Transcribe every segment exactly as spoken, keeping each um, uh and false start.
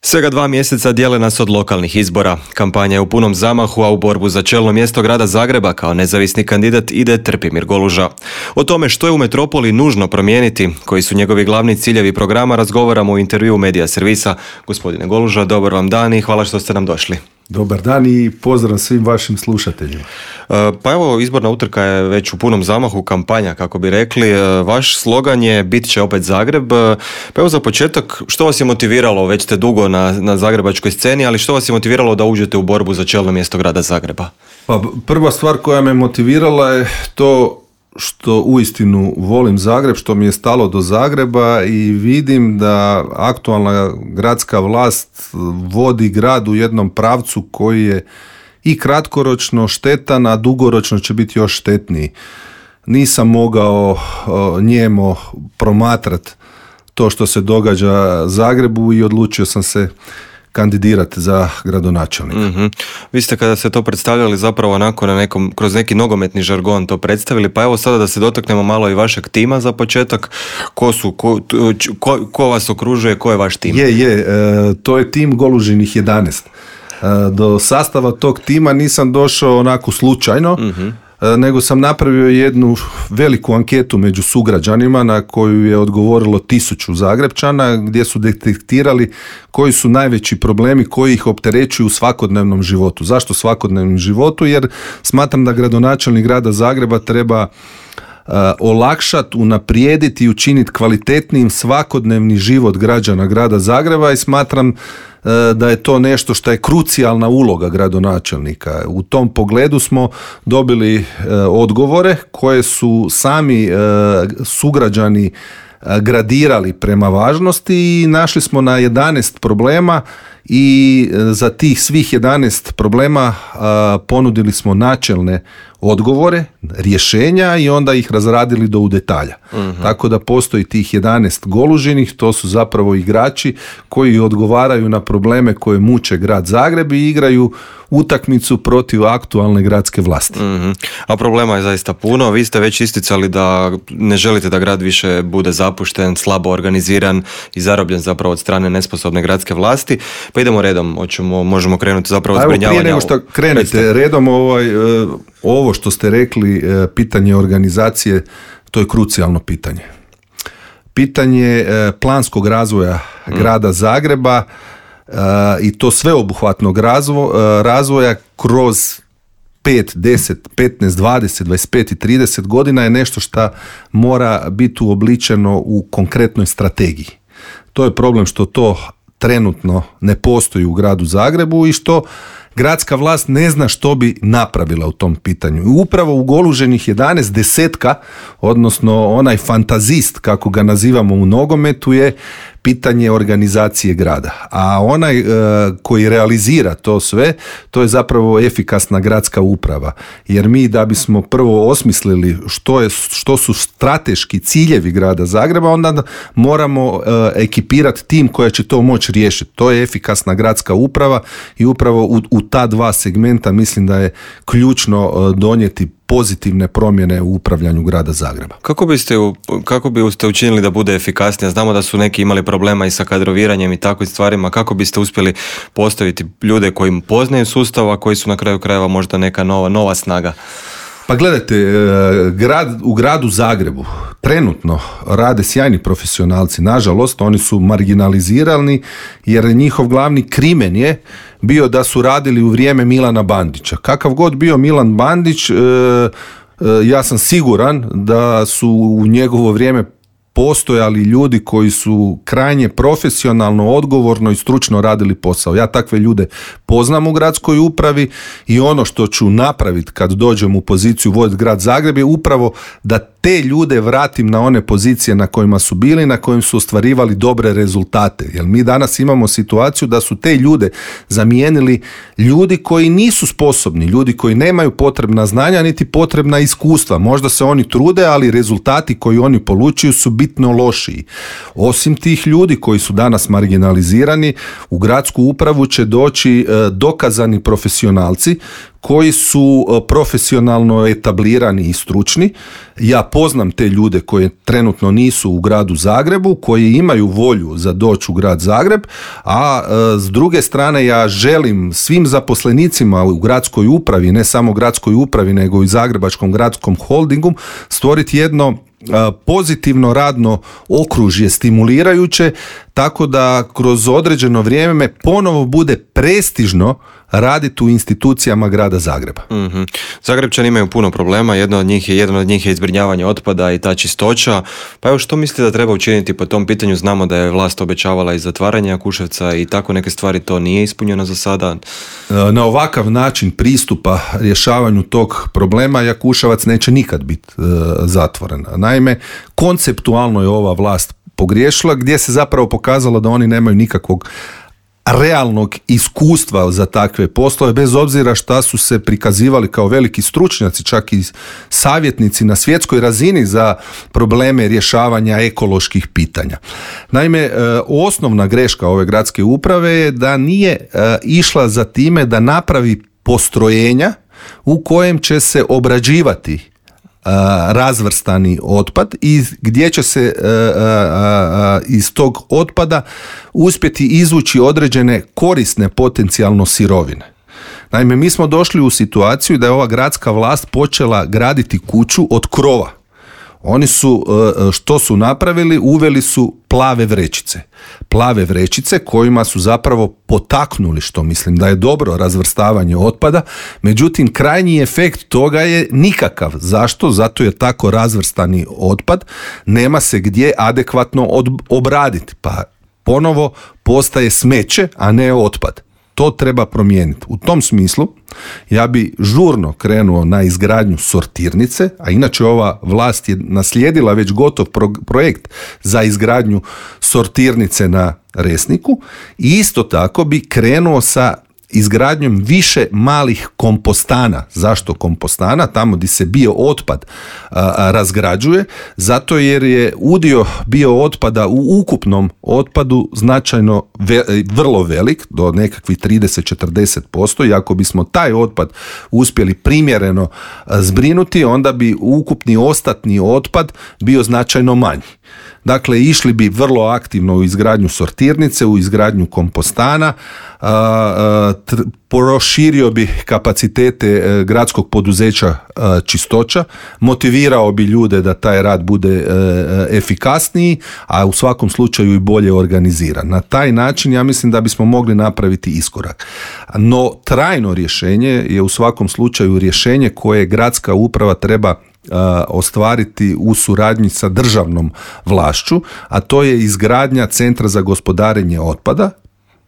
Svega dva mjeseca dijele nas od lokalnih izbora. Kampanja je u punom zamahu, a u borbu za čelno mjesto grada Zagreba kao nezavisni kandidat ide Trpimir Goluža. O tome što je u metropoli nužno promijeniti, koji su njegovi glavni ciljevi programa, razgovaramo u intervjuu Medija servisa. Gospodine Goluža, dobar vam dan i hvala što ste nam došli. Dobar dan i pozdrav svim vašim slušateljima. Pa evo, izborna utrka je već u punom zamahu, kampanja kako bi rekli. Vaš slogan je bit će opet Zagreb. Pa evo za početak, što vas je motiviralo, već ste dugo na, na zagrebačkoj sceni, ali što vas je motiviralo da uđete u borbu za čelno mjesto grada Zagreba? Pa prva stvar koja me motivirala je to što uistinu volim Zagreb, što mi je stalo do Zagreba i vidim da aktualna gradska vlast vodi grad u jednom pravcu koji je i kratkoročno štetan, a dugoročno će biti još štetniji. Nisam mogao njemo promatrati to što se događa Zagrebu i odlučio sam se kandidirati za gradonačelnika. Mm-hmm. Vi ste kada ste to predstavljali zapravo onako na nekom, kroz neki nogometni žargon to predstavili, pa evo sada da se dotaknemo malo i vašeg tima za početak. Ko su, ko, ko, ko vas okružuje, ko je vaš tim? Je, je, e, to je tim Golužinih jedanaest. E, do sastava tog tima nisam došao onako slučajno, mm-hmm. nego sam napravio jednu veliku anketu među sugrađanima na koju je odgovorilo tisuću Zagrepčana, gdje su detektirali koji su najveći problemi koji ih opterećuju u svakodnevnom životu. Zašto svakodnevnom životu? Jer smatram da gradonačelnik grada Zagreba treba uh, olakšati, unaprijediti i učiniti kvalitetnijim svakodnevni život građana grada Zagreba i smatram da je to nešto što je krucijalna uloga gradonačelnika. U tom pogledu smo dobili e, odgovore koje su sami e, sugrađani e, gradirali prema važnosti i našli smo na jedanaest problema i za tih svih jedanaest problema a, ponudili smo načelne odgovore, rješenja i onda ih razradili do u detalja. Uh-huh. Tako da postoji tih jedanaest Golužinih, to su zapravo igrači koji odgovaraju na probleme koje muče grad Zagreb i igraju utakmicu protiv aktualne gradske vlasti. Uh-huh. A problema je zaista puno. Vi ste već isticali da ne želite da grad više bude zapušten, slabo organiziran i zarobljen zapravo od strane nesposobne gradske vlasti. Pa idemo redom, hoćemo, možemo krenuti zapravo zbrinjavanja. Prije nego što krenete redom, ovaj, ovo što ste rekli, pitanje organizacije, to je krucijalno pitanje. Pitanje planskog razvoja mm. grada Zagreba i to sveobuhvatnog razvoja kroz pet, deset, petnaest, dvadeset, dvadeset pet i trideset godina je nešto što mora biti uobličeno u konkretnoj strategiji. To je problem što to trenutno ne postoji u gradu Zagrebu i što gradska vlast ne zna što bi napravila u tom pitanju. I upravo u Goluženih jedanaest desetka, odnosno onaj fantazist, kako ga nazivamo u nogometu, je pitanje organizacije grada. A onaj e, koji realizira to sve, to je zapravo efikasna gradska uprava. Jer mi da bismo prvo osmislili što, je, što su strateški ciljevi grada Zagreba, onda moramo e, ekipirati tim koja će to moći riješiti. To je efikasna gradska uprava i upravo u, u ta dva segmenta mislim da je ključno e, donijeti pozitivne promjene u upravljanju grada Zagreba. Kako biste, kako biste učinili da bude efikasnija? Znamo da su neki imali problema i sa kadroviranjem i takvim stvarima. Kako biste uspjeli postaviti ljude koji poznaju sustav, a koji su na kraju krajeva možda neka nova, nova snaga? Pa gledajte, grad, u gradu Zagrebu trenutno rade sjajni profesionalci. Nažalost, oni su marginalizirani jer njihov glavni krimen je bio da su radili u vrijeme Milana Bandića. Kakav god bio Milan Bandić, ja sam siguran da su u njegovo vrijeme postojali ljudi koji su krajnje profesionalno, odgovorno i stručno radili posao. Ja takve ljude poznam u gradskoj upravi i ono što ću napraviti kad dođem u poziciju voditi grad Zagreb je upravo da te ljude vratim na one pozicije na kojima su bili, na kojim su ostvarivali dobre rezultate. Jer mi danas imamo situaciju da su te ljude zamijenili ljudi koji nisu sposobni, ljudi koji nemaju potrebna znanja niti potrebna iskustva. Možda se oni trude, ali rezultati koji oni polučuju su bitno lošiji. Osim tih ljudi koji su danas marginalizirani, u gradsku upravu će doći e, dokazani profesionalci koji su profesionalno etablirani i stručni. Ja poznam te ljude koji trenutno nisu u gradu Zagrebu, koji imaju volju za doći u grad Zagreb, a e, s druge strane ja želim svim zaposlenicima u gradskoj upravi, ne samo gradskoj upravi, nego i Zagrebačkom gradskom holdingu, stvoriti jedno pozitivno radno okružje, stimulirajuće, tako da kroz određeno vrijeme ponovo bude prestižno raditi u institucijama grada Zagreba. Mm-hmm. Zagrebčani imaju puno problema, jedno od njih je, jedan od njih je izbrinjavanje otpada i ta čistoća. Pa evo, što mislite da treba učiniti po tom pitanju? Znamo da je vlast obećavala i zatvaranje Jakuševca i tako neke stvari, to nije ispunjeno za sada. Na ovakav način pristupa rješavanju tog problema Jakuševac neće nikad biti e, zatvoren. Naime, konceptualno je ova vlast pogriješila, gdje se zapravo pokazalo da oni nemaju nikakvog realnog iskustva za takve poslove, bez obzira šta su se prikazivali kao veliki stručnjaci, čak i savjetnici na svjetskoj razini za probleme rješavanja ekoloških pitanja. Naime, osnovna greška ove gradske uprave je da nije išla za time da napravi postrojenja u kojem će se obrađivati razvrstani otpad i gdje će se a, a, a, iz tog otpada uspjeti izvući određene korisne potencijalno sirovine. Naime, mi smo došli u situaciju da je ova gradska vlast počela graditi kuću od krova. Oni su, što su napravili, uveli su plave vrećice. Plave vrećice kojima su zapravo potaknuli, što mislim da je dobro, razvrstavanje otpada, međutim krajnji efekt toga je nikakav. Zašto? Zato jer tako razvrstani otpad nema se gdje adekvatno od, obraditi, pa ponovo postaje smeće, a ne otpad. To treba promijeniti. U tom smislu ja bi žurno krenuo na izgradnju sortirnice, a inače ova vlast je naslijedila već gotov pro- projekt za izgradnju sortirnice na Resniku i isto tako bi krenuo sa izgradnjom više malih kompostana. Zašto kompostana? Tamo gdje se bio otpad a, a, razgrađuje, zato jer je udio bio otpada u ukupnom otpadu značajno ve, vrlo velik, do nekakvih trideset do četrdeset posto, i ako bismo taj otpad uspjeli primjereno a, zbrinuti, onda bi ukupni ostatni otpad bio značajno manji. Dakle, išli bi vrlo aktivno u izgradnju sortirnice, u izgradnju kompostana, a, a, tr, proširio bi kapacitete e, gradskog poduzeća a, čistoća, motivirao bi ljude da taj rad bude e, e, efikasniji, a u svakom slučaju i bolje organiziran. Na taj način ja mislim da bismo mogli napraviti iskorak. No, trajno rješenje je u svakom slučaju rješenje koje gradska uprava treba ostvariti u suradnji sa državnom vlašću, a to je izgradnja centra za gospodarenje otpada.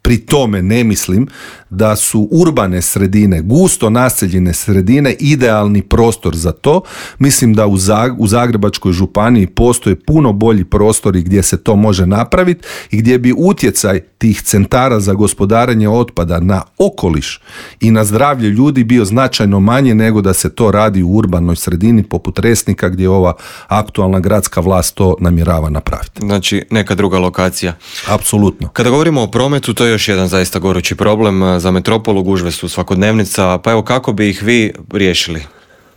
Pri tome ne mislim da su urbane sredine, gusto naseljene sredine idealni prostor za to. Mislim da u, Zag- u Zagrebačkoj županiji postoje puno bolji prostori gdje se to može napraviti i gdje bi utjecaj tih centara za gospodarenje otpada na okoliš i na zdravlje ljudi bio značajno manje nego da se to radi u urbanoj sredini poput Resnika, gdje ova aktualna gradska vlast to namjerava napraviti. Znači neka druga lokacija. Apsolutno. Kada govorimo o prometu, to je još jedan zaista gorući problem za metropolu, gužve su svakodnevnica, pa evo kako bi ih vi riješili?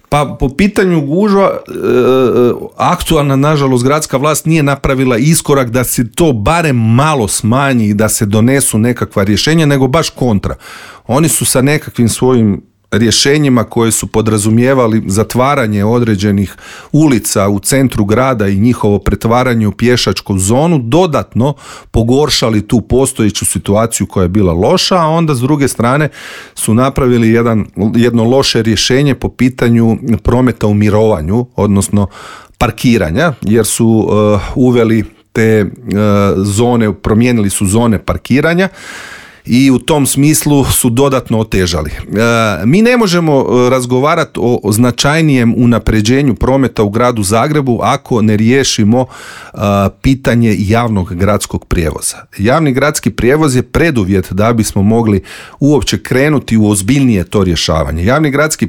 Pa po pitanju gužva, e, aktualna nažalost gradska vlast nije napravila iskorak da se to barem malo smanji i da se donesu nekakva rješenja, nego baš kontra. Oni su sa nekakvim svojim rješenjima koje su podrazumijevali zatvaranje određenih ulica u centru grada i njihovo pretvaranje u pješačku zonu dodatno pogoršali tu postojeću situaciju koja je bila loša, a onda s druge strane su napravili jedan, jedno loše rješenje po pitanju prometa u mirovanju, odnosno parkiranja, jer su uh, uveli te uh, zone, promijenili su zone parkiranja i u tom smislu su dodatno otežali. E, mi ne možemo razgovarati o, o značajnijem unapređenju prometa u gradu Zagrebu ako ne riješimo a, pitanje javnog gradskog prijevoza. Javni gradski prijevoz je preduvjet da bismo mogli uopće krenuti u ozbiljnije to rješavanje. Javni gradski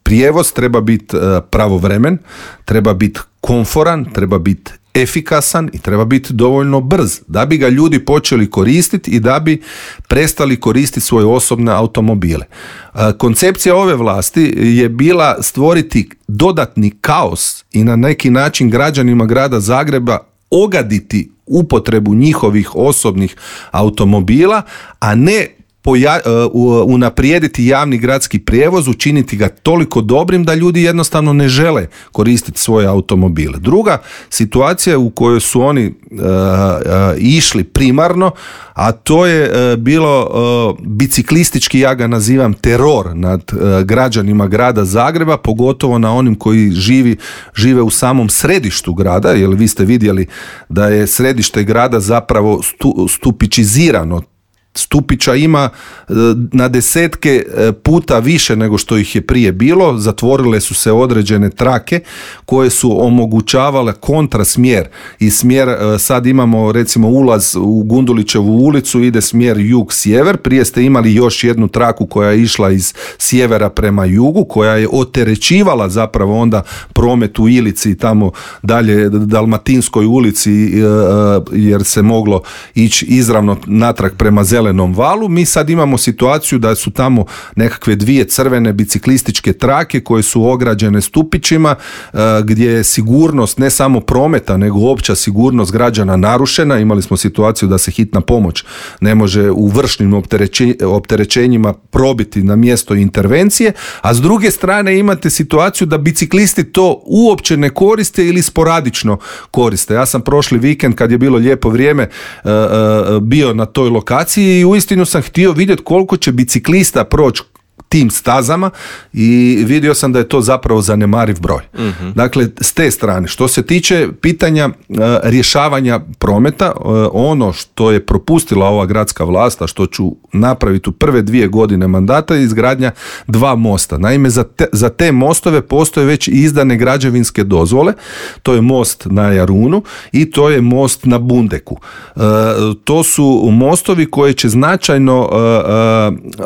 prijevoz treba biti pravovremen, treba biti komforan, treba biti efikasan i treba biti dovoljno brz da bi ga ljudi počeli koristiti i da bi prestali koristiti svoje osobne automobile. Koncepcija ove vlasti je bila stvoriti dodatni kaos i na neki način građanima grada Zagreba ogaditi upotrebu njihovih osobnih automobila, a ne Poja, uh, unaprijediti javni gradski prijevoz, učiniti ga toliko dobrim da ljudi jednostavno ne žele koristiti svoje automobile. Druga situacija u kojoj su oni uh, uh, išli primarno, a to je uh, bilo uh, biciklistički, ja ga nazivam, teror nad uh, građanima grada Zagreba, pogotovo na onim koji živi, žive u samom središtu grada, jer vi ste vidjeli da je središte grada zapravo stu, stupičizirano. Stupića ima na desetke puta više nego što ih je prije bilo, zatvorile su se određene trake koje su omogućavale kontrasmjer i smjer, sad imamo recimo ulaz u Gundulićevu ulicu, ide smjer jug-sjever, prije ste imali još jednu traku koja je išla iz sjevera prema jugu, koja je oterećivala zapravo onda promet u Ilici i tamo dalje Dalmatinskoj ulici, jer se moglo ići izravno natrag prema Zelenom valu. Mi sad imamo situaciju da su tamo nekakve dvije crvene biciklističke trake koje su ograđene stupićima, gdje je sigurnost ne samo prometa nego opća sigurnost građana narušena. Imali smo situaciju da se hitna pomoć ne može u vršnim opterećenjima probiti na mjesto intervencije, a s druge strane imate situaciju da biciklisti to uopće ne koriste ili sporadično koriste. Ja sam prošli vikend, kad je bilo lijepo vrijeme, bio na toj lokaciji i uistinu sam htio vidjeti koliko će biciklista proći tim stazama i vidio sam da je to zapravo zanemariv broj. Mm-hmm. Dakle, s te strane. Što se tiče pitanja uh, rješavanja prometa, uh, ono što je propustila ova gradska vlast, a što ću napraviti u prve dvije godine mandata, je izgradnja dva mosta. Naime, za te, za te mostove postoje već izdane građevinske dozvole. To je most na Jarunu i to je most na Bundeku. Uh, to su mostovi koji će značajno uh,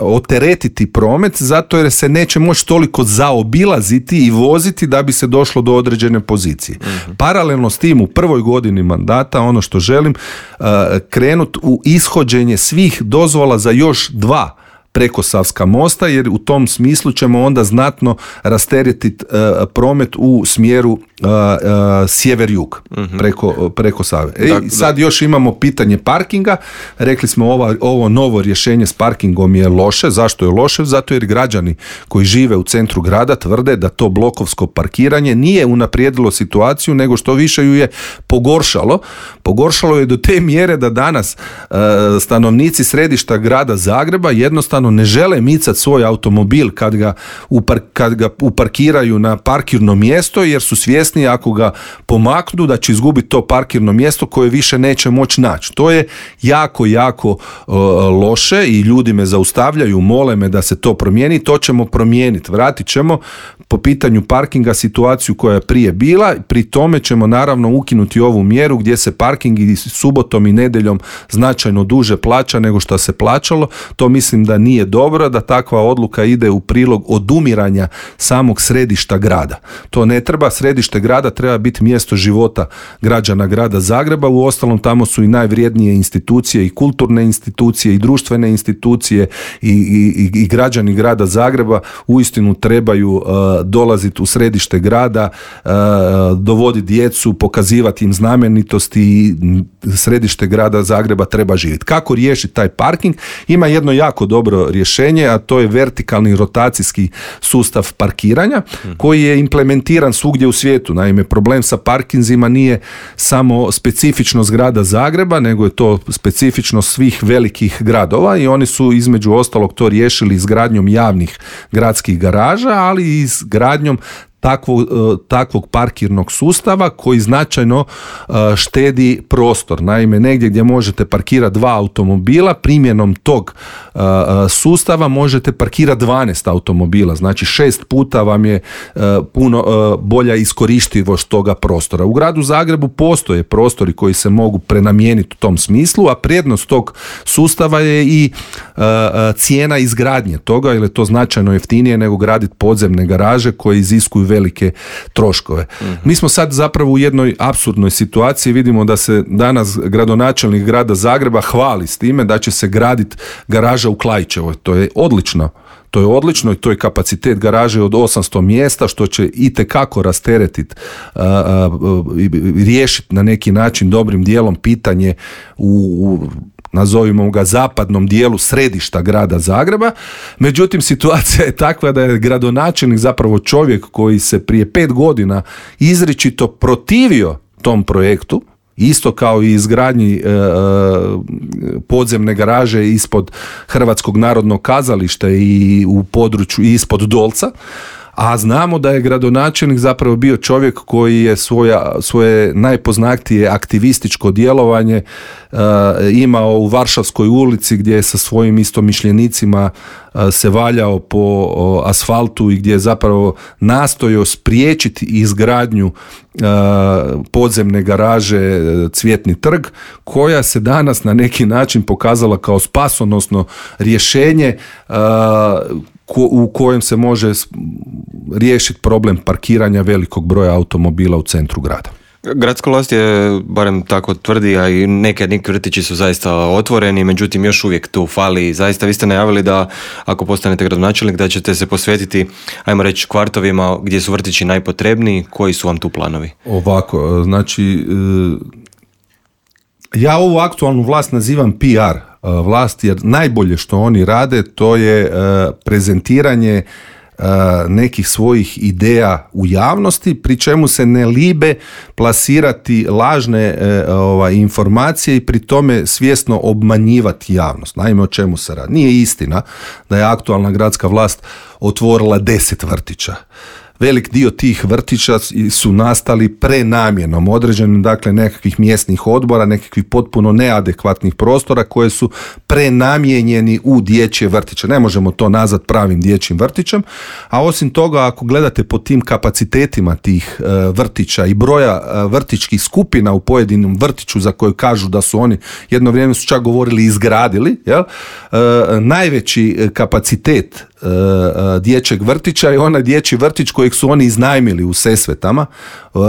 uh, oteretiti promet, zato jer se neće moći toliko zaobilaziti i voziti da bi se došlo do određene pozicije. Mm-hmm. Paralelno s tim u prvoj godini mandata ono što želim uh, krenuti u ishođenje svih dozvola za još dva prekosavska mosta, jer u tom smislu ćemo onda znatno rasteretiti uh, promet u smjeru uh, uh, sjever-jug mm-hmm. preko, preko Save. E, da, sad da. Još imamo pitanje parkinga. Rekli smo ova, ovo novo rješenje s parkingom je loše. Zašto je loše? Zato jer građani koji žive u centru grada tvrde da to blokovsko parkiranje nije unaprijedilo situaciju, nego što više ju je pogoršalo. Pogoršalo je do te mjere da danas uh, stanovnici središta grada Zagreba jednostavno ne žele micati svoj automobil kad ga, upar, kad ga uparkiraju na parkirno mjesto, jer su svjesni ako ga pomaknu da će izgubiti to parkirno mjesto koje više neće moći naći. To je jako, jako uh, loše i ljudi me zaustavljaju, mole me da se to promijeni. To ćemo promijeniti. Vratit ćemo po pitanju parkinga situaciju koja je prije bila. Pri tome ćemo naravno ukinuti ovu mjeru gdje se parking i subotom i nedjeljom značajno duže plaća nego što se plaćalo. To mislim da nije dobro, da takva odluka ide u prilog odumiranja samog središta grada. To ne treba. Središte grada treba biti mjesto života građana grada Zagreba. Uostalom tamo su i najvrijednije institucije i kulturne institucije i društvene institucije i, i, i građani grada Zagreba uistinu trebaju uh, dolaziti u središte grada, uh, dovoditi djecu, pokazivati im znamenitosti i središte grada Zagreba treba živjeti. Kako riješiti taj parking? Ima jedno jako dobro rješenje, a to je vertikalni rotacijski sustav parkiranja koji je implementiran svugdje u svijetu. Naime, problem sa parkinzima nije samo specifičnost grada Zagreba, nego je to specifičnost svih velikih gradova i oni su između ostalog to riješili izgradnjom javnih gradskih garaža, ali i izgradnjom Takvog, takvog parkirnog sustava koji značajno štedi prostor. Naime, negdje gdje možete parkirati dva automobila, primjenom tog sustava možete parkirati dvanaest automobila. Znači šest puta vam je puno bolja iskorištivost toga prostora. U gradu Zagrebu postoje prostori koji se mogu prenamijeniti u tom smislu, a prednost tog sustava je i cijena izgradnje toga, jer je to značajno jeftinije nego graditi podzemne garaže koje iziskuju velike troškove. Mm-hmm. Mi smo sad zapravo u jednoj apsurdnoj situaciji, vidimo da se danas gradonačelnik grada Zagreba hvali s time da će se graditi garaža u Klaićevoj. To je odlično. To je odlično i to je kapacitet garaže od osamsto mjesta, što će itekako rasteretiti i riješiti na neki način dobrim dijelom pitanje u, u nazovimo ga zapadnom dijelu središta grada Zagreba. Međutim, situacija je takva da je gradonačelnik zapravo čovjek koji se prije pet godina izričito protivio tom projektu, isto kao i izgradnji e, podzemne garaže ispod Hrvatskog narodnog kazališta i u području ispod Dolca, a znamo da je gradonačelnik zapravo bio čovjek koji je svoja, svoje najpoznatije aktivističko djelovanje e, imao u Varšavskoj ulici, gdje je sa svojim istomišljenicima e, se valjao po o, asfaltu i gdje je zapravo nastojao spriječiti izgradnju e, podzemne garaže Cvjetni trg, koja se danas na neki način pokazala kao spasonosno rješenje e, u kojem se može riješiti problem parkiranja velikog broja automobila u centru grada. Gradska vlast je, barem tako tvrdi, a i neke neki vrtići su zaista otvoreni, međutim još uvijek tu fali. Zaista vi ste najavili da ako postanete gradonačelnik da ćete se posvetiti, ajmo reći, kvartovima gdje su vrtići najpotrebniji. Koji su vam tu planovi? Ovako, znači ja ovu aktualnu vlast nazivam P R vlast, jer najbolje što oni rade to je prezentiranje nekih svojih ideja u javnosti, pri čemu se ne libe plasirati lažne ovaj, informacije i pri tome svjesno obmanjivati javnost. Naime, o čemu se radi? Nije istina da je aktualna gradska vlast otvorila deset vrtića. Velik dio tih vrtića su nastali prenamjenom određenim, dakle nekakvih mjesnih odbora, nekakvih potpuno neadekvatnih prostora koje su prenamijenjeni u dječje vrtiće. Ne možemo to nazvati pravim dječjim vrtićem, a osim toga ako gledate po tim kapacitetima tih uh, vrtića i broja uh, vrtićkih skupina u pojedinom vrtiću za koje kažu da su oni jedno vrijeme su čak govorili izgradili, jel? Uh, najveći kapacitet uh, uh, dječjeg vrtića je onaj dječji vrtić kojeg su oni iznajmili u Sesvetama, uh, uh,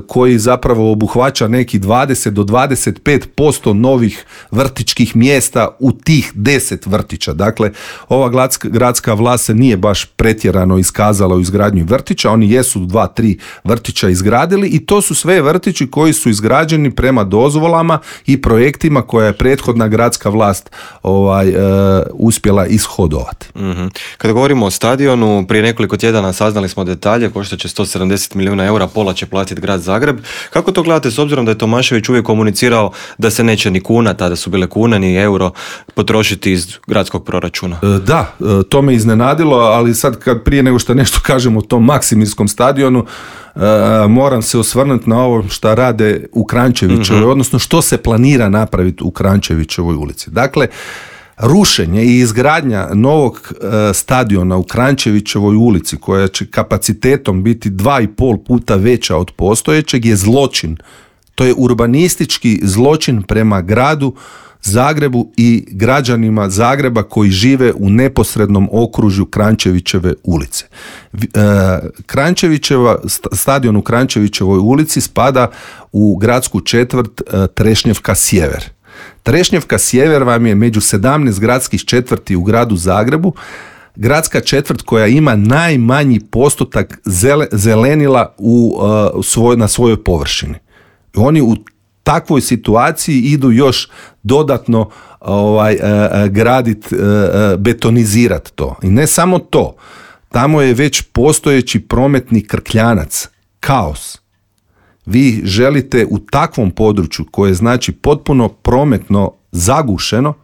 koji zapravo obuhvaća neki dvadeset do dvadeset pet posto novih vrtićkih mjesta u tih deset vrtića. Dakle, ova gradska, gradska vlast se nije baš pretjerano iskazala u izgradnji vrtića, oni jesu dva, tri vrtića izgradili i to su sve vrtići koji su izgrađeni prema dozvolama i projektima koje je prethodna gradska vlast ovaj, uh, uspjela ishodovati. Mm-hmm. Kada govorimo o stadionu, prije nekoliko tjedana saznali smo detalje, koštat će sto sedamdeset milijuna eura, pola će platiti grad Zagreb. Kako to gledate s obzirom da je Tomašević uvijek komunicirao da se neće ni kuna, tada su bile kuna, ni euro potrošiti iz gradskog proračuna? Da, to me iznenadilo, ali sad kad prije nego što nešto kažem o tom Maksimirskom stadionu, moram se osvrnuti na ovo što rade u Kranjčevićevoj, mm-hmm. odnosno što se planira napraviti u Kranjčevićevoj ulici. Dakle, rušenje i izgradnja novog e, stadiona u Kranjčevićevoj ulici, koja će kapacitetom biti dva i pol puta veća od postojećeg, je zločin. To je urbanistički zločin prema gradu Zagrebu i građanima Zagreba koji žive u neposrednom okružju Kranjčevićeve ulice. E, Kranjčevićeva, stadion u Kranjčevićevoj ulici spada u gradsku četvrt e, Trešnjevka Sjever. Trešnjevka Sjever vam je među sedamnaest gradskih četvrti u gradu Zagrebu, gradska četvrt koja ima najmanji postotak zelenila u, uh, svoj, na svojoj površini. Oni u takvoj situaciji idu još dodatno ovaj, uh, gradit, uh, betonizirati to. I ne samo to, tamo je već postojeći prometni krkljanac, kaos. Vi želite u takvom području koje znači potpuno prometno zagušeno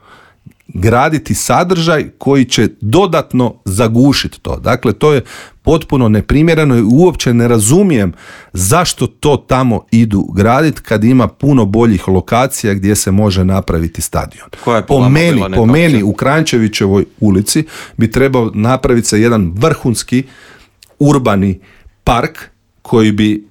graditi sadržaj koji će dodatno zagušiti to. Dakle, to je potpuno neprimjereno i uopće ne razumijem zašto to tamo idu graditi kad ima puno boljih lokacija gdje se može napraviti stadion. Po meni, po meni u Kranjčevićevoj ulici bi trebao napraviti se jedan vrhunski urbani park koji bi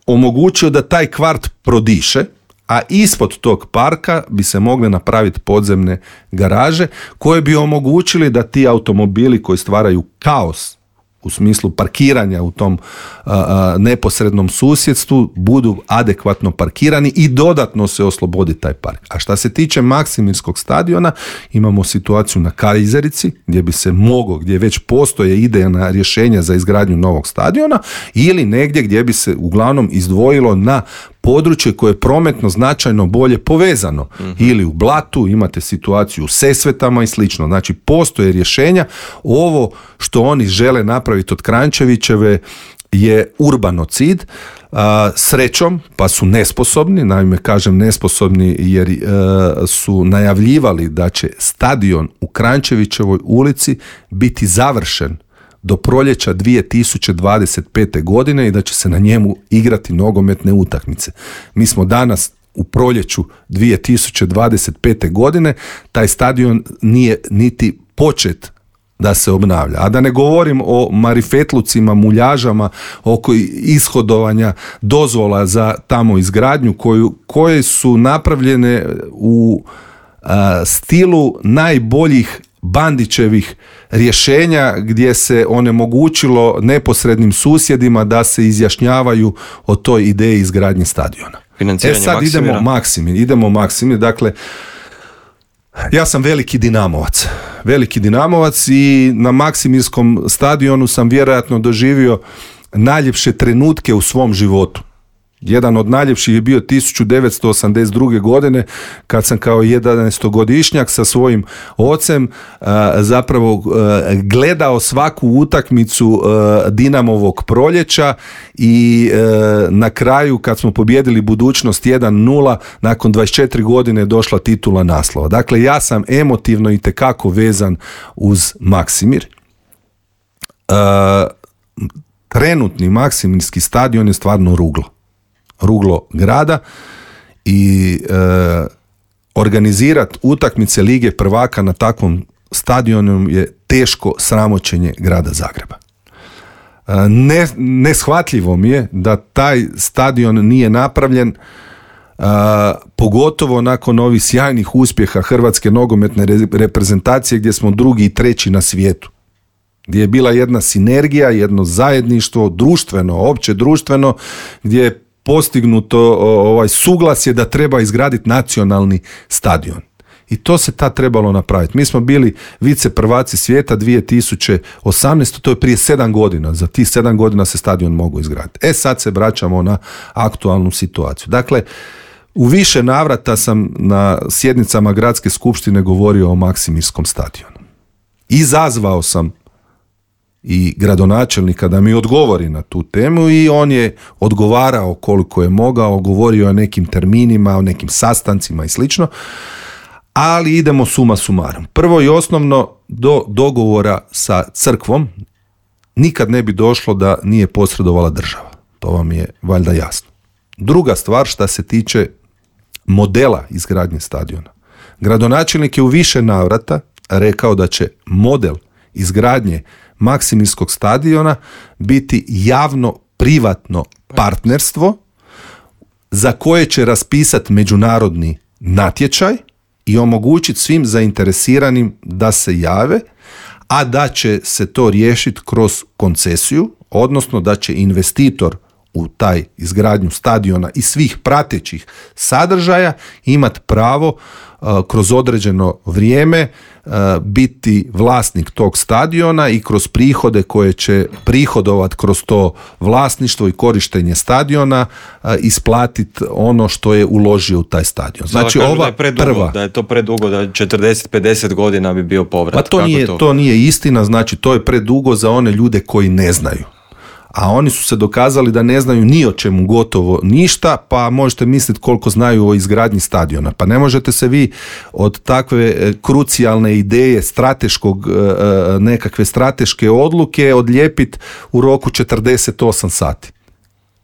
omogućio da taj kvart prodiše, a ispod tog parka bi se mogle napraviti podzemne garaže koje bi omogućili da ti automobili koji stvaraju kaos u smislu parkiranja u tom a, a, neposrednom susjedstvu budu adekvatno parkirani i dodatno se oslobodi taj park. A šta se tiče Maksimirskog stadiona, imamo situaciju na Kajzerici gdje bi se moglo, gdje već postoje idejna rješenja za izgradnju novog stadiona ili negdje gdje bi se uglavnom izdvojilo na područje koje je prometno značajno bolje povezano. Mm-hmm. Ili u Blatu, imate situaciju u Sesvetama i slično. Znači, postoje rješenja. Ovo što oni žele napraviti od Kranjčevićeve je urbanocid. A, srećom, pa su nesposobni, naime kažem nesposobni jer e, su najavljivali da će stadion u Kranjčevićevoj ulici biti završen do proljeća dvije tisuće dvadeset pete. godine i da će se na njemu igrati nogometne utakmice. Mi smo danas u proljeću dvije tisuće dvadeset pete. godine, taj stadion nije niti počet da se obnavlja. A da ne govorim o marifetlucima, muljažama oko ishodovanja dozvola za tamo izgradnju koju, koje su napravljene u a, stilu najboljih Bandićevih rješenja gdje se onemogućilo neposrednim susjedima da se izjašnjavaju o toj ideji izgradnje stadiona. E sad Maksimira. idemo Maksimir, idemo Maksimir, dakle ja sam veliki Dinamovac, veliki Dinamovac i na Maksimirskom stadionu sam vjerojatno doživio najljepše trenutke u svom životu. Jedan od najljepših je bio tisuću devetsto osamdeset druge. godine kad sam kao jedanaestogodišnjak sa svojim ocem uh, zapravo uh, gledao svaku utakmicu uh, Dinamovog proljeća i uh, na kraju kad smo pobijedili Budućnost jedan nula nakon dvadeset četiri godine došla titula naslova. Dakle, ja sam emotivno itekako vezan uz Maksimir. Uh, trenutni Maksimirski stadion je stvarno ruglo. ruglo grada i e, organizirati utakmice Lige prvaka na takvom stadionu je teško sramoćenje grada Zagreba. E, ne, neshvatljivo mi je da taj stadion nije napravljen, e, pogotovo nakon ovih sjajnih uspjeha Hrvatske nogometne reprezentacije gdje smo drugi i treći na svijetu. Gdje je bila jedna sinergija, jedno zajedništvo, društveno, opće društveno, gdje je postignuto ovaj suglasje da treba izgraditi nacionalni stadion. I to se tad trebalo napraviti. Mi smo bili vice prvaci svijeta dvije tisuće osamnaeste. To je prije sedam godina. Za tih sedam godina se stadion mogu izgraditi. E sad se vraćamo na aktualnu situaciju. Dakle, u više navrata sam na sjednicama gradske skupštine govorio o Maksimirskom stadionu. Izazvao sam i gradonačelnika da mi odgovori na tu temu i on je odgovarao koliko je mogao, govorio o nekim terminima, o nekim sastancima i slično, ali idemo suma sumarum. Prvo i osnovno, do dogovora sa crkvom nikad ne bi došlo da nije posredovala država. To vam je valjda jasno. Druga stvar, šta se tiče modela izgradnje stadiona. Gradonačelnik je u više navrata rekao da će model izgradnje Maksimirskog stadiona biti javno-privatno partnerstvo za koje će raspisati međunarodni natječaj i omogućiti svim zainteresiranim da se jave, a da će se to riješiti kroz koncesiju, odnosno da će investitor u taj izgradnju stadiona i svih pratećih sadržaja imati pravo uh, kroz određeno vrijeme uh, biti vlasnik tog stadiona i kroz prihode koje će prihodovat kroz to vlasništvo i korištenje stadiona uh, isplatiti ono što je uložio u taj stadion. Znači da, ova da je predugo, prva... Da je to predugo, da četrdeset pedeset godina bi bio povrat. Pa to nije, to? to nije istina, znači to je predugo za one ljude koji ne znaju. A oni su se dokazali da ne znaju ni o čemu gotovo ništa, pa možete misliti koliko znaju o izgradnji stadiona. Pa ne možete se vi od takve krucijalne ideje, strateškog, nekakve strateške odluke odlijepiti u roku četrdeset osam sati.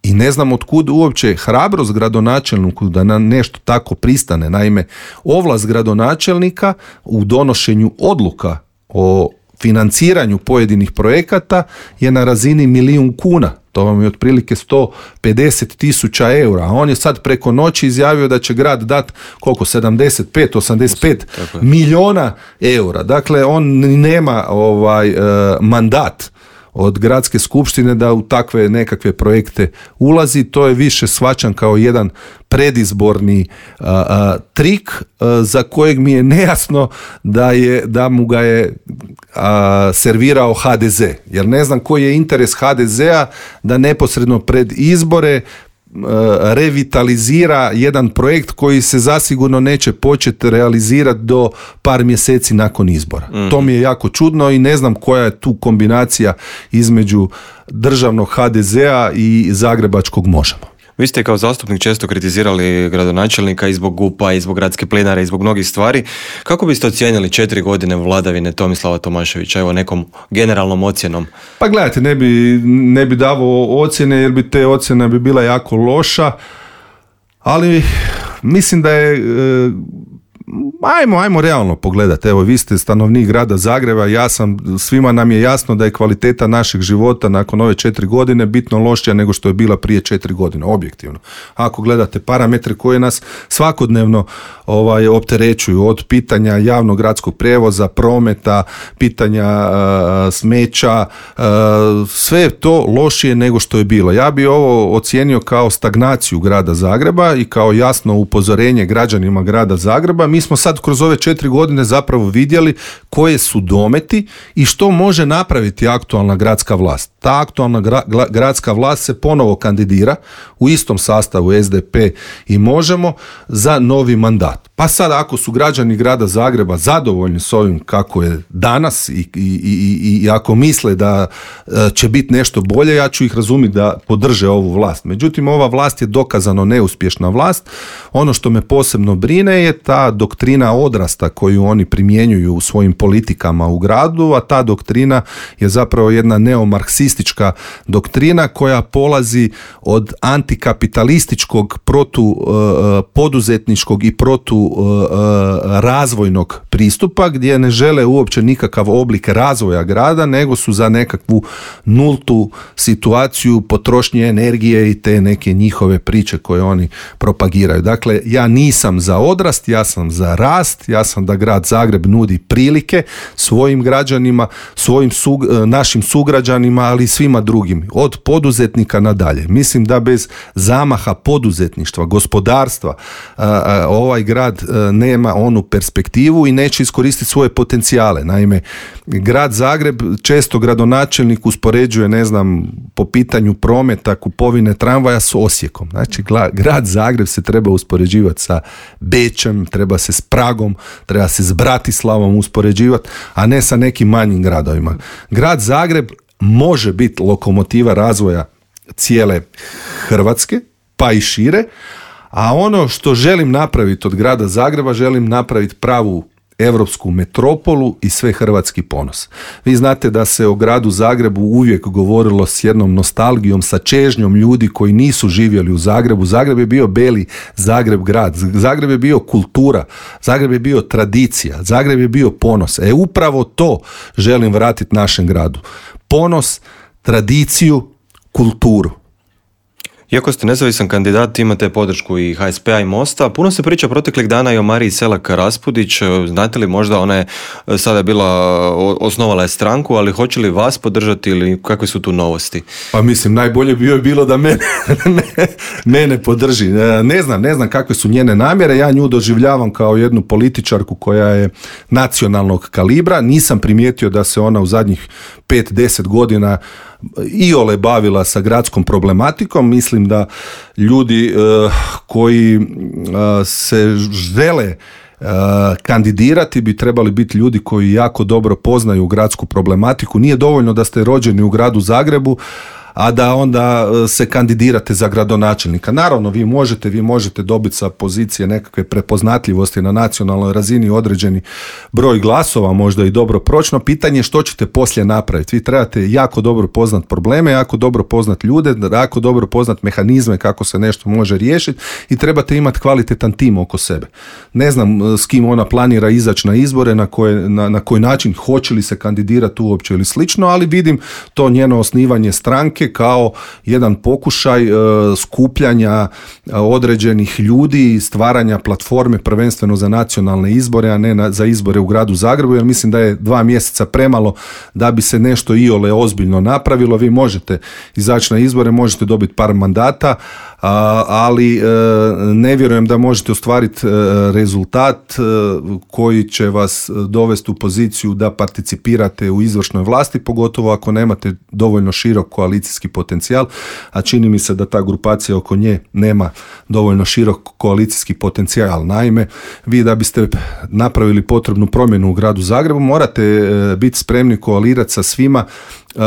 I ne znam otkud uopće hrabrost gradonačelniku da na nešto tako pristane. Naime, ovlast gradonačelnika u donošenju odluka o financiranju pojedinih projekata je na razini milijun kuna. To vam je otprilike sto pedeset tisuća eura, a on je sad preko noći izjavio da će grad dati koliko, sedamdeset pet, osamdeset pet milijuna eura. Dakle, on nema ovaj uh, mandat od gradske skupštine da u takve nekakve projekte ulazi. To je više shvaćan kao jedan predizborni uh, uh, trik uh, za kojeg mi je nejasno da, je, da mu ga je uh, servirao ha de ze. Jer ne znam koji je interes ha de zea da neposredno pred izbore revitalizira jedan projekt koji se zasigurno neće početi realizirati do par mjeseci nakon izbora. Mm. To mi je jako čudno i ne znam koja je tu kombinacija između državnog ha de zea i zagrebačkog Možemo. Vi ste kao zastupnik često kritizirali gradonačelnika i zbog gupa, i zbog gradske plinare, i zbog mnogih stvari. Kako biste ocijenili četiri godine vladavine Tomislava Tomaševića, evo nekom generalnom ocjenom? Pa gledajte, ne bi, ne bi davao ocjene jer bi te ocjene bi bila jako loša, ali mislim da je... E, Ajmo, ajmo realno pogledati. Evo, vi ste stanovnik grada Zagreba, ja sam, svima nam je jasno da je kvaliteta našeg života nakon ove četiri godine bitno lošija nego što je bila prije četiri godine, objektivno. Ako gledate parametre koje nas svakodnevno ovaj, opterećuju, od pitanja javnog gradskog prijevoza, prometa, pitanja uh, smeća, uh, sve je to lošije nego što je bilo. Ja bi ovo ocijenio kao stagnaciju grada Zagreba i kao jasno upozorenje građanima grada Zagreba. Mi smo sad kroz ove četiri godine zapravo vidjeli koje su dometi i što može napraviti aktualna gradska vlast. Ta aktualna gra- gradska vlast se ponovo kandidira u istom sastavu es de pe i Možemo za novi mandat. Pa sad ako su građani grada Zagreba zadovoljni s ovim kako je danas i, i, i, i ako misle da će biti nešto bolje, ja ću ih razumjeti da podrže ovu vlast. Međutim, ova vlast je dokazano neuspješna vlast. Ono što me posebno brine je ta doktrina odrasta koju oni primjenjuju u svojim politikama u gradu, a ta doktrina je zapravo jedna neomarksistička doktrina koja polazi od antikapitalističkog, protu uh, poduzetničkog i protu uh, razvojnog pristupa, gdje ne žele uopće nikakav oblik razvoja grada, nego su za nekakvu nultu situaciju potrošnje energije i te neke njihove priče koje oni propagiraju. Dakle, ja nisam za odrast, ja sam za rast, ja sam da grad Zagreb nudi prilike svojim građanima, svojim sug, našim sugrađanima, ali i svima drugim, od poduzetnika nadalje. Mislim da bez zamaha poduzetništva, gospodarstva, ovaj grad nema onu perspektivu i neće iskoristiti svoje potencijale. Naime, grad Zagreb često gradonačelnik uspoređuje, ne znam, po pitanju prometa, kupovine tramvaja s Osijekom. Znači, grad Zagreb se treba uspoređivati sa Bečem, treba se s Pragom, treba se s Bratislavom uspoređivati, a ne sa nekim manjim gradovima. Grad Zagreb može biti lokomotiva razvoja cijele Hrvatske, pa i šire, a ono što želim napraviti od grada Zagreba, želim napraviti pravu europsku metropolu i sve hrvatski ponos. Vi znate da se o gradu Zagrebu uvijek govorilo s jednom nostalgijom, sa čežnjom ljudi koji nisu živjeli u Zagrebu. Zagreb je bio beli Zagreb grad, Zagreb je bio kultura, Zagreb je bio tradicija, Zagreb je bio ponos. E upravo to želim vratiti našem gradu. Ponos, tradiciju, kulturu. Iako ste nezavisan kandidat, imate podršku i ha es pe a i Mosta. Puno se priča proteklih dana i o Mariji Selak Raspudić. Znate li, možda ona je sada bila, osnovala je stranku, ali hoće li vas podržati ili kakve su tu novosti? Pa mislim, najbolje bi joj bilo da mene, mene podrži. Ne znam, ne znam kakve su njene namjere. Ja nju doživljavam kao jednu političarku koja je nacionalnog kalibra. Nisam primijetio da se ona u zadnjih pet do deset godina iole bavila sa gradskom problematikom. Mislim da ljudi uh, koji uh, se žele uh, kandidirati bi trebali biti ljudi koji jako dobro poznaju gradsku problematiku. Nije dovoljno da ste rođeni u gradu Zagrebu, a da onda se kandidirate za gradonačelnika. Naravno, vi možete, vi možete dobiti sa pozicije nekakve prepoznatljivosti na nacionalnoj razini određeni broj glasova, možda i dobro pročno. Pitanje je što ćete poslije napraviti. Vi trebate jako dobro poznat probleme, jako dobro poznat ljude, jako dobro poznat mehanizme kako se nešto može riješiti i trebate imati kvalitetan tim oko sebe. Ne znam s kim ona planira izaći na izbore, na, koje, na, na koji način, hoće li se kandidirati uopće ili slično, ali vidim to njeno osnivanje stranke stranke kao jedan pokušaj e, skupljanja e, određenih ljudi i stvaranja platforme prvenstveno za nacionalne izbore, a ne na, za izbore u gradu Zagrebu, jer mislim da je dva mjeseca premalo da bi se nešto iole ozbiljno napravilo. Vi možete izaći na izbore, možete dobiti par mandata, a, ali e, ne vjerujem da možete ostvariti e, rezultat e, koji će vas dovesti u poziciju da participirate u izvršnoj vlasti, pogotovo ako nemate dovoljno širok koalicijski potencijal, a čini mi se da ta grupacija oko nje nema dovoljno širok koalicijski potencijal. Naime, vi da biste napravili potrebnu promjenu u gradu Zagrebu, morate e, biti spremni koalirati sa svima Uh,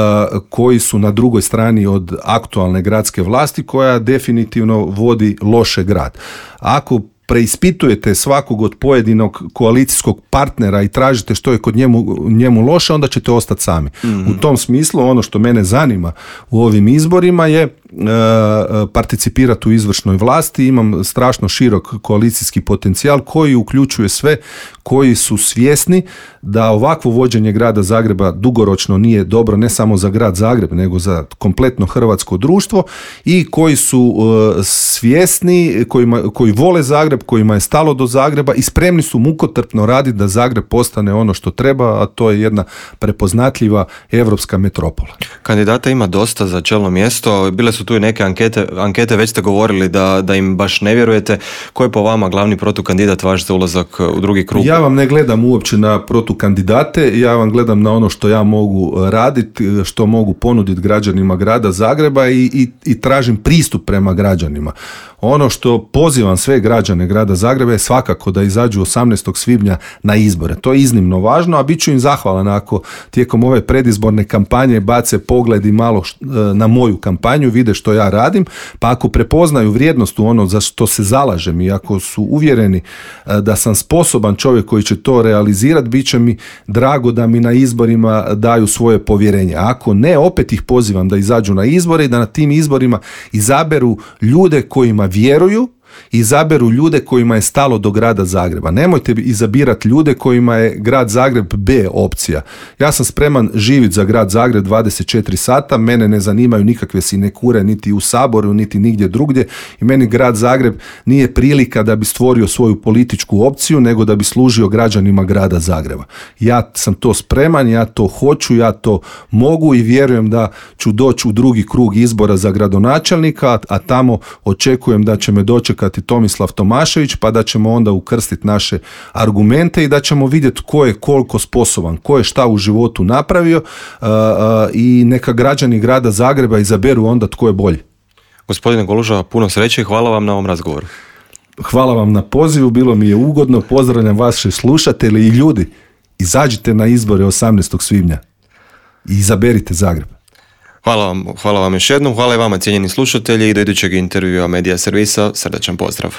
koji su na drugoj strani od aktualne gradske vlasti koja definitivno vodi loše grad. Ako preispitujete svakog od pojedinog koalicijskog partnera i tražite što je kod njemu, njemu loše, onda ćete ostati sami. Mm-hmm. U tom smislu ono što mene zanima u ovim izborima je e, participirati u izvršnoj vlasti. Imam strašno širok koalicijski potencijal koji uključuje sve koji su svjesni da ovakvo vođenje grada Zagreba dugoročno nije dobro ne samo za grad Zagreb, nego za kompletno hrvatsko društvo i koji su e, svjesni, kojima, koji vole Zagreb, kojima je stalo do Zagreba i spremni su mukotrpno raditi da Zagreb postane ono što treba, a to je jedna prepoznatljiva europska metropola. Kandidata ima dosta za čelno mjesto, bile su tu i neke ankete, ankete već ste govorili da, da im baš ne vjerujete. Ko je po vama glavni protukandidat vaš za ulazak u drugi krug? Ja vam ne gledam uopće na protukandidate, ja vam gledam na ono što ja mogu raditi, što mogu ponuditi građanima grada Zagreba i, i, i tražim pristup prema građanima. Ono što pozivam sve građane grada Zagreba je svakako da izađu osamnaestog svibnja na izbore. To je iznimno važno, a bit ću im zahvalan ako tijekom ove predizborne kampanje bace pogled i malo na moju kampanju, vide što ja radim, pa ako prepoznaju vrijednost u ono za što se zalažem i ako su uvjereni da sam sposoban čovjek koji će to realizirati, bit će mi drago da mi na izborima daju svoje povjerenje. A ako ne, opet ih pozivam da izađu na izbore i da na tim izborima izaberu ljude kojima vjeruju, izaberu ljude kojima je stalo do grada Zagreba. Nemojte izabirati ljude kojima je grad Zagreb B opcija. Ja sam spreman živjeti za grad Zagreb dvadeset četiri sata, mene ne zanimaju nikakve sinekure niti u Saboru, niti nigdje drugdje i meni grad Zagreb nije prilika da bi stvorio svoju političku opciju, nego da bi služio građanima grada Zagreba. Ja sam to spreman, ja to hoću, ja to mogu i vjerujem da ću doći u drugi krug izbora za gradonačelnika, a tamo očekujem da će me dočekati Tomislav Tomašević, pa da ćemo onda ukrstiti naše argumente i da ćemo vidjeti ko je koliko sposoban, ko je šta u životu napravio uh, uh, i neka građani grada Zagreba izaberu onda tko je bolji. Gospodine Goluža, puno sreće i hvala vam na ovom razgovoru. Hvala vam na pozivu, bilo mi je ugodno, pozdravljam vaše slušatelje i ljudi, izađite na izbore osamnaestog svibnja i izaberite Zagreb. Hvala vam, hvala vam još jednom, hvala i vama cijenjeni slušatelji i do idućeg intervjua Medija servisa, srdačan pozdrav.